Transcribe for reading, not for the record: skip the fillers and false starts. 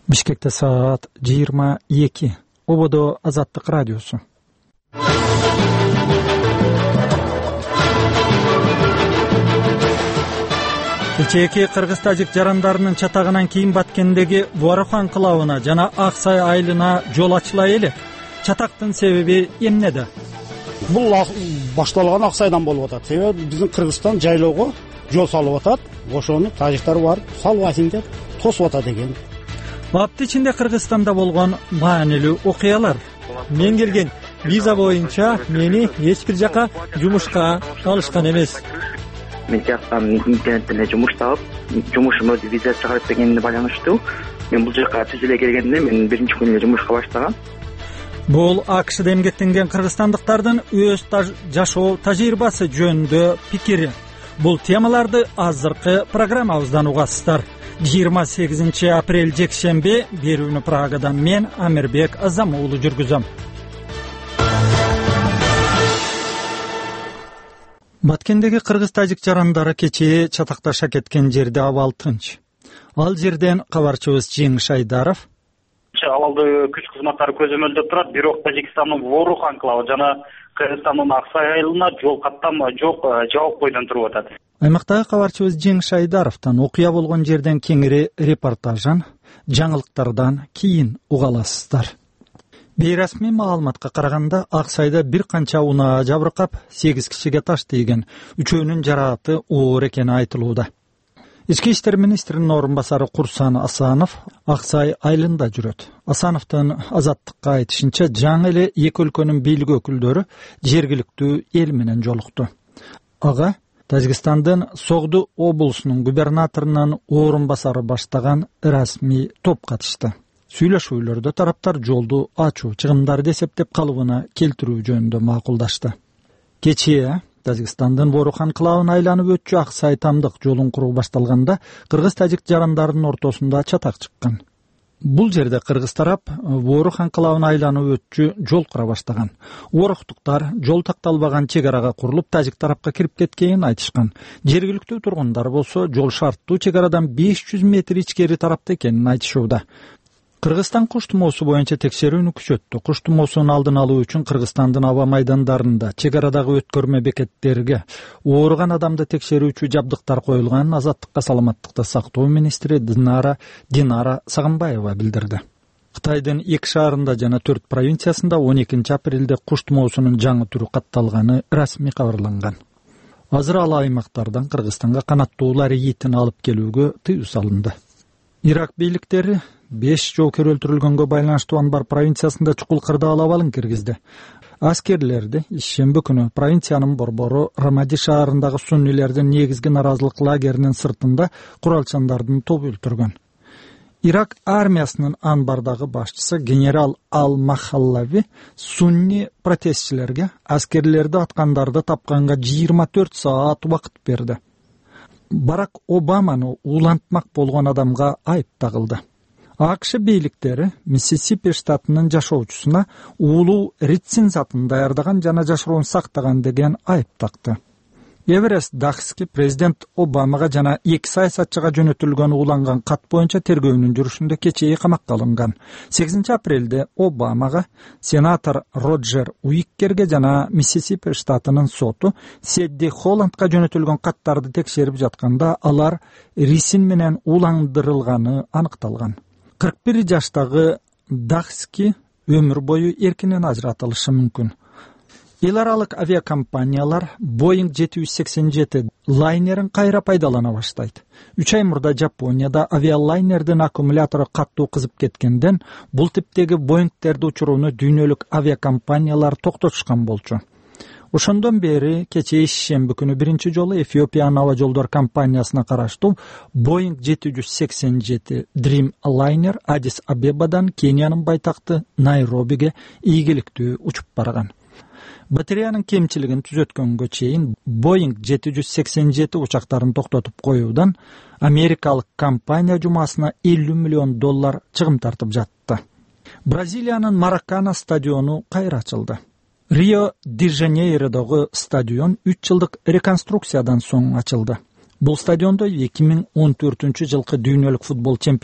Бишкекте саат 22. Ободо Азаттык радиосу. Кечээки кыргыз-тажик жарандарынын чатагынан кийин Баткендеги Воорукан анклавына жана Аксай айылына жол ачыла элек. Чатактын себеби эмнеде? Бул башталган Аксайдан болуп атат. Себеби биздин Кыргызстан жайлоого жол салып атат. Ошону тажиктар барып салбайсың деп тосуп атат экен. Бапты ичинде Кыргызстанда болгон маанилүү окуялар. Мен келген виза боюнча мени эч бир жака жумушка алышкан эмес. Мен жактан интернеттен жумуш таап, жумушума виза чыгарып бергенине байланыштуу. Мен бул жака түз эле келгенде мен биринчи күнү жумушка баштагам. Бул АКШда эмгектенген кыргызстандыктардын өз жашоо тажрыйбасы жөнүндө пикири. Бул темаларды азыркы программабыздан угасыздар. 28 апрель жекшемби берүүнү Прагадан мен Амирбек Азамуулу жүргүзөм. Баткендеги кыргыз-тажик жарандары кечээ чатакташа кеткен жерде абал тынч. Ал жерден кабарчыбыз Жеңиш Айдаров. Абалды күч кызматтары көзөмөлдөп турат, бирок Тажикстандын Воорукан анклавы жана Кыргызстандын Аксай айылына жол каттама жок жабык бойдон туруп атат. Аймактагы кабарчыбыз Жеңиш Айдаровдон окуя болгон жерден кеңири репортажын жаңылыктардан кийин уга аласыздар. Бейрасмий маалыматка караганда Аксайда бир канча унаа жабыркап, 8 кишиге таш тийген, 3өөнүн жарааты оор экени айтылууда. Ички иштер министринин орун басары Курсан Асанов Аксай айылында жүрөт. Асановдун Азаттыкка айтышынча, жаңы эле эки өлкөнүн бийлик өкүлдөрү жергиликтүү эл менен жолукту. Ага Тажикстандын Согду облусунун губернаторунун орун басары баштаган расмий топ катышты. Сүйлөшүүлөрдө тараптар жолду ачуу чыгымдарды эсептеп калыбына келтирүү жөнүндө макулдашты. Кечээ Тажикстандын Воорукан анклавын айланып өтчү Аксай тамдык жолун куруу башталганда кыргыз-тажик жарандарынын ортосунда чатак чыккан. Бул жерде кыргыз тарап Воорукан анклавын айланып өтчү жол кура баштаган. Ооруктуктар жол такталбаган чек арага курулуп Тажик тарапка кирип кеткенин айтышкан. Жергиликтүү тургундар болсо жол шарттуу чек арадан 500 метр ичкери тарапта экенин айтышууда. Кыргызстан куш тумоосу боюнча текшерүүнү күчөттү. Куш тумоосунун алдын алуу үчүн Кыргызстандын аба майдандарында, чек арадагы өткөрмө бекеттерге ооруган адамды текшерүүчү жабдыктар коюлганын Азаттыкка саламаттыкты сактоо министри Динара Сагынбаева билдирди. Кытайдын 2 шаарында жана 4 провинциясында 12 апрелде куш тумоосунун жаңы түрү катталганы расмий кабарланган. Азыр ал аймактардан Кыргызстанга канаттуулар итин алып келүүгө тыюу салынды. Ирак бийликтери 5 жоокер өлтүрүлгөнгө байланыштуу Анбар провинциясында чукул кырдаал абалын киргизди. Аскерлерди ишемби күнү провинциянын борбору Рамади шаарындагы суннилердин негизги наразылык лагеринин сыртында куралчандардын тобу өлтүргөн. Ирак армиясынын Анбардагы башчысы генерал Ал-Махаллави сунни протестчилерге аскерлерди аткандарды тапканга 24 саат убакыт берди. Барак Обаманы улантмак болгон адамга айып тагылды. АКШ бийликтери Миссисипи штатынын жашоочусуна уулуу рицин затын даярдаган жана жашыруун сактаган деген айып такты. Эверест Дахски президент Обамага жана 2 саясатчыга жөнөтүлгөн ууланган кат боюнча тергөөнүн жүрүшүндө кечээ камакка алынган. 8 апрелде Обамага сенатор Роджер Уиккерге жана Миссисипи штатынын соту Седди Холландка жөнөтүлгөн каттарды текшерип жатканда алар рисин менен ууландырылганы аныкталган. 41 жаштагы Дахски өмүр бою эркинен ажыратылышы мүмкүн. Эл аралык авиакомпаниялар Boeing 787 лайнерин кайра пайдалана баштайт. 3 ай мурда Жапонияда авиалайнердин аккумулятору каттуу кызып кеткенден бул типтеги Boeing'терди учурууну дүйнөлүк авиакомпаниялар токтотушкан болчу. Ошондон бери кечээ шемби күнү биринчи жолу Эфиопиянын аба жолдор компаниясына караштуу Boeing 787 Dreamliner Адис Абебадан Кениянын байтакты Найробиге ийгиликтүү учуп барган. Батареянын кемчилигин түзөткөнгө чейин Boeing 787 учактарын токтотуп коюудан америкалык компания жумасына $50 миллион чыгым тартып жатты. Бразилиянын Маракана стадиону кайра ачылды. Рио-де-Жанейродогу стадион 3 жылдык реконструкциядан соң ачылды. Бул стадиондо 2014 жылкы дүйнөлүк футбол чемпионаты